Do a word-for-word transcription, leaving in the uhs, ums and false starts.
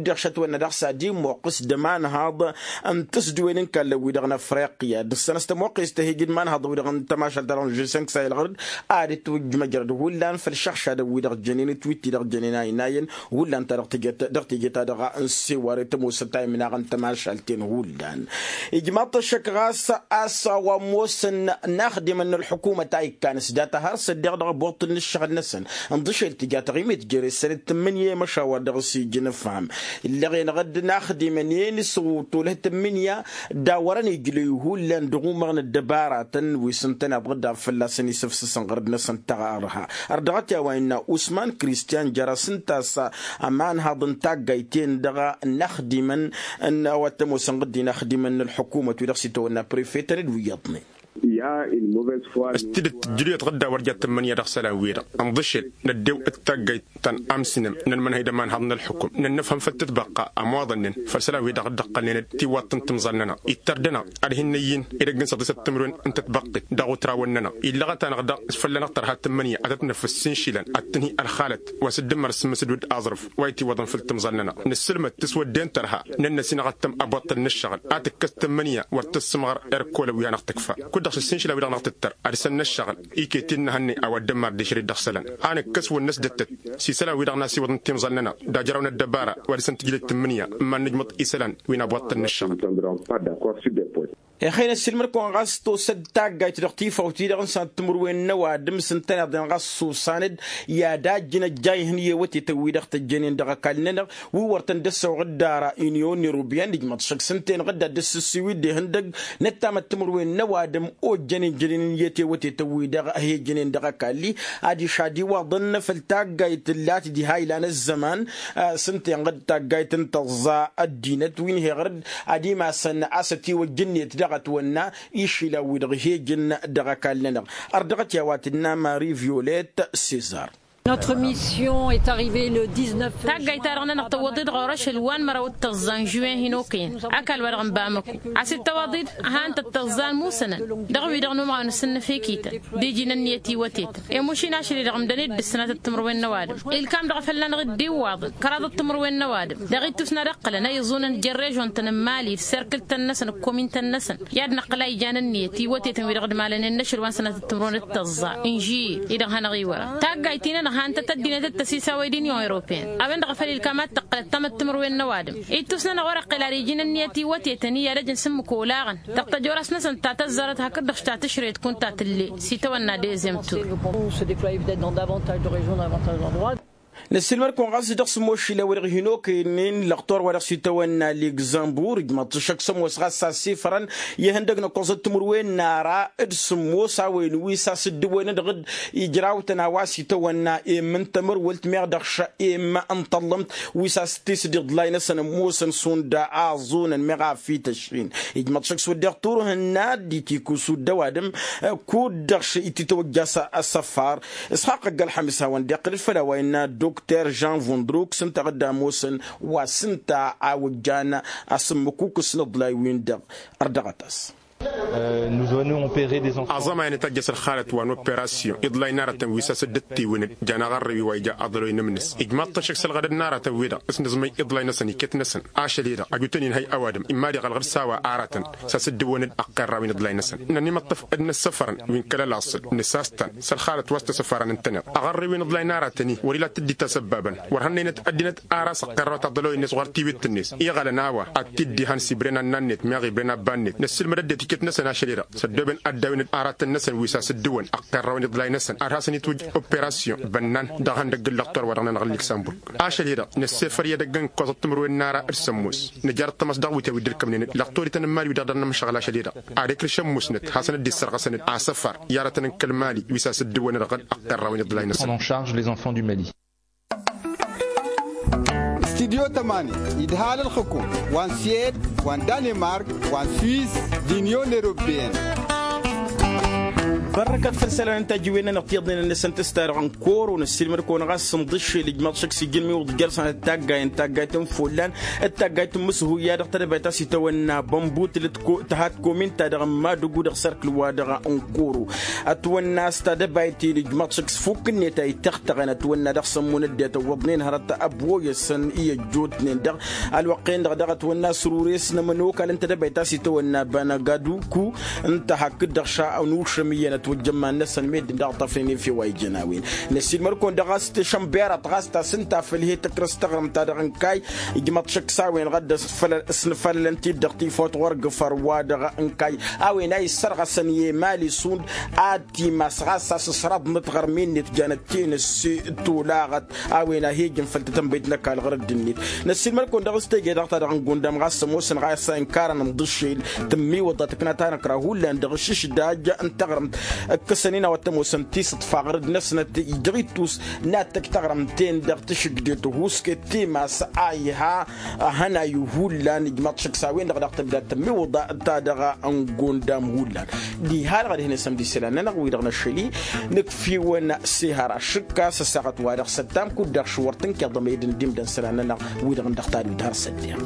dd-iɣšătwen-nădăɣ s-ad-immoqqǝs d-ămanhaḍ n-tǝsdǝwen n-ikallăn-wi-dăɣ n-afriqya d-ǝssănăs tămoqqest tăhejǝd. Ănhăḍ-wi-dăɣ n-tămašalt-ta-dăɣ n-žesănk s-a ilɣăr-dd ad-dd-twǝjjǝm ăjrăd hullan făll-išăɣšadăn-wi-dăɣ jănen d-tiwǝtti dăɣ-jănen a inayăn hullan ta dăɣ-tejăt dăɣ-teje-ta-dăɣ n-seware tămoosăt a imnaɣăn tămašalt-en hullan. Ijmaḍ-t ăššăk ɣas a-s a-wa ămoosăn inaxdimăn n-ălḥukumăt a ikkan s-data har s-ăddiɣ dăɣ-abuṭṭǝl n-ǝššăɣǝl-năsăn ǝnḍǝšel tǝja taɣimit jere s-sănăt tǝmmǝnǝya i-măšawăr dăɣ-s ija inǝfham. Illeɣ-enăɣ-dd inaxdimăn-en s-tolăh tǝmmǝnǝya d-a wărăn ijlăy hullan dăɣ-umăɣ n-ăddăbaratăn wi s-ǝntăneḍ ɣǝdda fălla-săn isǝfsǝsăn ɣărăd-năsăn taɣărha. Ărdăɣăt i-a-wa innă usman kristiyan jer-asǝnta s-ămanhaḍ n-taggayt-en-dăɣ n-inaxdimăn n-a-wa t-ămoosăn ɣǝdda inaxdimăn n-ălḥukumăt wi-dăɣ s-itawănna prefetăn d-wi iyyăḍnen. S-tidǝt tǝjjǝluyăt ɣǝdda wăr jat tǝmmǝnǝya dăɣ-isălan-wi-dăɣ ǝnḍǝšel năddew d-taggayt ta n-amsǝnăm n-ănmănhăy d-ămanhăḍ n-ălḥukum nănnăfhăm făll-tǝtbăqqa ămoḍănnen făll-isălan-wi-dăɣ dd-ăqqălnen d-tiwwaḍt n-timẓal-nănăɣ. Ittăr dăɣ-năɣ ad-hin-năyyǝn edăgg n-săḍisăt timǝrwen n-tătbăqqit dăɣ-otrawăn-nănăɣ illăɣăt-anăɣ daɣ s-fălla-năɣ tărha tǝmmǝnǝya ad-tăt-năfăs s-inšilăn ad-tǝnhǝy ălxalăt wa s-dd-ǝmmăr s-imǝsdud aẓrǝf wa itǝwwăḍăn făll-timẓal-nănăɣ. Nǝssǝlmăd tǝswădden tărha nănnăs-in-aɣăttăm abuṭṭǝl n-ǝššăɣǝl a tǝkkăs tǝmmǝnǝya wăr tǝssǝmɣăr erkolăn wi hanăɣ-tǝkfa kud-dăɣ s-ǝssinšǝla-wi-dăɣ n-aɣ tǝttăr ad-săn n-ǝššăɣǝl iket-in n-ehănnay a-wa dd-ămmar d-išrǝd dăɣ-isălan. A nǝkkăs wăr năsdăttăt s-isălan-wi-dăɣ n-asiwăḍ n-timẓal-nănăɣ d-ajraw n-ăddăbara wa dăɣ-săn tǝjlăd tǝmmǝnǝya ǝmman nǝjmăḍ isălan wi n-abuṭṭǝl n-ǝššăɣǝl. Ixăynăs ilmǝr-kăwăn ɣas tosăd taggayt dăɣ-tifawt-i-dăɣ n-sănăt timǝrwen n-ăwadǝm s-ǝntăneḍ-en ɣas s-osan-dd i-ad-ajjǝn ăjjayhăn i-ewătetăn-wi-dăɣ tăjjănen dăɣ-ăkall-nănăɣ wi wăr tăn-dd-ăssăwăɣ dd-ara union europeyăn ijmăḍ šăkk s-ǝnta-enăɣ dd-ad-dd-sǝssiwǝy d-ihăndăgg n-ăttamăt timǝrwen n-ăwadǝm ojjănen jănen n-iyyăt i-ewătetăn-wi-dăɣ ăhejănen dăɣ-ăkall-i. Adiš ad-iwaḍăn făll-taggayt tǝllat diha ilan ăzzăman s-ǝnta-enăɣ d-taggayt n-tăẓẓa ăddinăt wi n-heɣăr-dd ad-imasăn a-s ătiwăjj ǝnniyăt dăɣ-ătwănna išila-wi-dăɣ ihejăn dăɣ-ăkall-nănăɣ. Ărdăɣăt i-a-wa tǝnna mari violet sezar. Taggayt-ta-dăɣ-nănăɣ tăwwăḍ-dd ɣur-ašăl wa n-măraw d-tăẓẓa n-žuwen hin-okăyăn ăkall-wa-dăɣ n-bamăko. A-s dd-tăwwăḍ-dd han-tăt-tăẓẓa ălmusănăn dăɣ-wi-dăɣ n-umɣaw n-asǝnnăf i-kităn d-iji n-ǝnniyăt iwătetăn i-mušin ašăl-i-dăɣ ǝmdăn-dd d-ǝssǝnatăt timǝrwen n-ăwadǝm ilkam-dăɣ a fălla-năɣ dd-iwwaḍăn kăraḍăt timǝrwen n-ăwadǝm. Dăɣ-ittus n-ad-ǝqqǝlăn a iẓunăn jer-režon-tăn n-mali d-serkǝl-tăn-năsăn d-komin-tăn-năsăn i-ad-nǝqqǝl a ijan ǝnniyăt i-iwătetăn wi-dăɣ dd-malănen n-ašăl wa n-sănatăt timǝrwen d-tăẓẓa n-žiyye-i-dăɣ hanăɣ-iwărăn taggayt-i-nănăɣ han-tăt-ăddinăt d-tăsisawăy d-inyon europeyăn a-wen-dăɣ a făl ilkam ad-tǝqqǝlăt tamăttimǝrwen n-ăwadǝm. Ittus n-ănăɣ wăr-ăqqǝl ad-iji n-ǝnniyăt iwătetăn i-ad-ăj n-sǝmmǝk olaɣăn dăɣ-tăjorast-năsăn ta tăzzarăt hakd-dăɣ ta tǝšrăyăt kunta tǝlle s-itawănna dezem tur. Năssiilmăd-kăwăn ɣas dăɣ-sǝmmos išilan-wi-dăɣ hin-okăynen lăqtor wa dăɣ-s itawănna ligzămbur ǝjmăḍ-t ăššăk s-ămoos ɣas a ăssifărăn i-ihăndăg n-ǝkkoẓăt timǝrwen n-ara d-sǝmmos a-wen wi s-asǝddǝwăyăn dăɣ-dd ijrawtăn a-wa s-itawănna emmǝn tămărwălt meɣ dăɣ-š emmǝn n-tăllămt wi s-asǝttisǝd iḍlay-năsăn ămoosăn šund aẓunăn meɣ a fităšin. Ijmăḍ šăkk s-wădden turhǝnna d-itikusud d-ăwadǝm kud-dăɣ š-ititwăjja s-asăfar. Isxaqq ăgg-ălxămis hawăn-dd-iqqǝl d-făll-a-wa innă dokter žan vundruk s-ǝnta ɣǝdda ămoosăn wa s-ǝnta a wăjjan asǝmmǝkukǝs n-iḍlay-win-dăɣ. Ărdăɣăt-as. Aẓămay a nǝtajjăs ălxalăt wa n-operasyon iḍlay n-aratăn wi s-asǝddǝttiwǝnăd jan aɣărrǝw-i wa ija aḍăloy n-ǝmnǝs ijmaḍ-t ăššăk s-ălɣădăd n-aratăn-wi-dăɣ s-nǝẓmăy iḍlay-năsăn iket-năsăn. Ašăl-i-dăɣ ăjutăn-in hăy ăwadǝm imma d-iɣălɣăd s-a-wa aratăn s-asǝddǝwănăd ăqqerrawen iḍlay-năsăn. Nănimăṭṭăf d-inǝssăfărăn wi n-kăl-ălaṣăl nǝsas-tăn s-ălxalăt wa s-tăsăfarăn ǝntăneḍ aɣărrǝw-in iḍlay n-aratăn-i wăr-ila t-dd-itasăbbabăn wăr hănnăynăt ăddinăt ara s-ăqqerrăwăt aḍăloy-net ɣur-tiwǝtt-net iɣălăn a-wa ad-t-dd-ihăn s-ibren annan-net meɣ ibren abba-net năssiilmăd ăddinăt iket-năsăn ašăl-i-dăɣ s-ăddooben ad-dawǝnăd aratăn-năsăn wi s-asǝddǝwăn ăqqerrăwăn iḍlay-năsăn ad-hasăn-itwǝjj operasyon bănnan dăɣ-ihăndăgg n-lăqtor wa dăɣ-nănăɣ n-liksănburg. Ašăl-i-dăɣ năssefăr i-edăgg n-ǝkkoẓăt timǝrwen n-ara d-sămmos nǝjar ăṭṭămăs dăɣ-wǝtyan wi dd-ǝlkămnen d-lăqtor ităn n-imali wi-dăɣ dăr-nǝmšăɣǝl ašăl-i-dăɣ ad-ikrǝš ămmusnăt hasăn-dd-issărɣăsăn-dd asăfar i-aratăn n-kăl-imali wi s-asǝddǝwăn dăɣ-ăqqărrawăn iḍlay-năsăn. Studyo tămani idhal ălxǝkum wa n-suwed wa n-danemark wa n-swiss d-inyon europeyăn. Bărrăkăt făll-isălan n-tajǝwen-nănăɣ tiyyăḍnen-năsăn tǝsta dăɣ-n koro năssiilmăd-kăwăn ɣas n-dd-ǝššel ijmaḍ šăkk s-ijǝnmi wăḍ jer-săn taggayăn taggayt n-ifulan d-taggayt n-imǝshuya dăɣ-tadăbayt a-s itawănna bănbutǝl tǝha tǝkomin-ta-dăɣ n-madǝgu dăɣ-sărkǝl-wa-dăɣ n-koro. Ătwănna a-s tadăbayt-in ijmaḍ šăkk s-fukk-net a ităɣtăɣăn ătwănna dăɣ-sămmun ăddinăt ǝwwăḍnen hărăt ăbwoyăsăn i-ăjjootnen-dăɣ. Ălwăqq-en-dăɣ daɣ ătwănna săr-ure-s n-ămănokal n-tedăbayt a-s itawănna banagaduku n-tahăkk-dd dăɣ-ša ănušăm iyyăn ătwăjja ămman-năsăn meddǝn daɣ ǝṭṭafnen efew a ijăn a-wen. Năssiilmăd-kăwăn dăɣ-a-s tešănbirăt ɣas ta s-ǝnta făll-he-tăkrăst taɣrǝmt-ta-dăɣ n-kayy. Ijmăḍ šăkk s-a-wen ɣad-ăsfălăl s-nǝfălălăn-t-dd dăɣ-tifawt ɣur-gǝfăr-wa-dăɣ n-kayy. A-wen a issărɣăsăn i-emali šund ad-timas ɣas a-s ǝṣraḍnăt ɣărmi-net janăt tenăsse tolaɣăt. A-wen a he-ijăn făll-tatănbăyt n-ăkall ɣur-dd-net. Năssiilmăd-kăwăn dăɣ-s teje-dăɣ-ta-dăɣ n-gundam ɣas ămoosăn ɣas a inkarăn ǝnḍǝššel tǝmmiwǝḍa tǝkna tanăkra hullan dăɣ-ašǝšdaj n-taɣrǝmt. Ǝkkăsăn-in a-wa t-ămoosăn tisǝḍfa ɣur-dd-năsnăt dăɣ-ittus n-ad-tăj taɣrǝmt-en-dăɣ tǝšǝgde tăhuusket timas a iha. Ahănay hullan ijmaḍ šăkk s-a-wen-dăɣ daɣ tǝbda tǝmmiwǝḍa ta-dăɣ n-gundam hullan. Diha-dăɣ ad-hin-asămd isălan-nănăɣ-wi-dăɣ năššăl-i nǝkf'-iwăn s-ehăra šǝkka s-ăssaɣăt-wa-dăɣ s-ăttam kud-dăɣ šǝwwăr tǝnkeḍăm ed ǝndimdăn isălan-nănăɣ-wi-dăɣ n-dăɣ-tadut har s-ăddiɣ.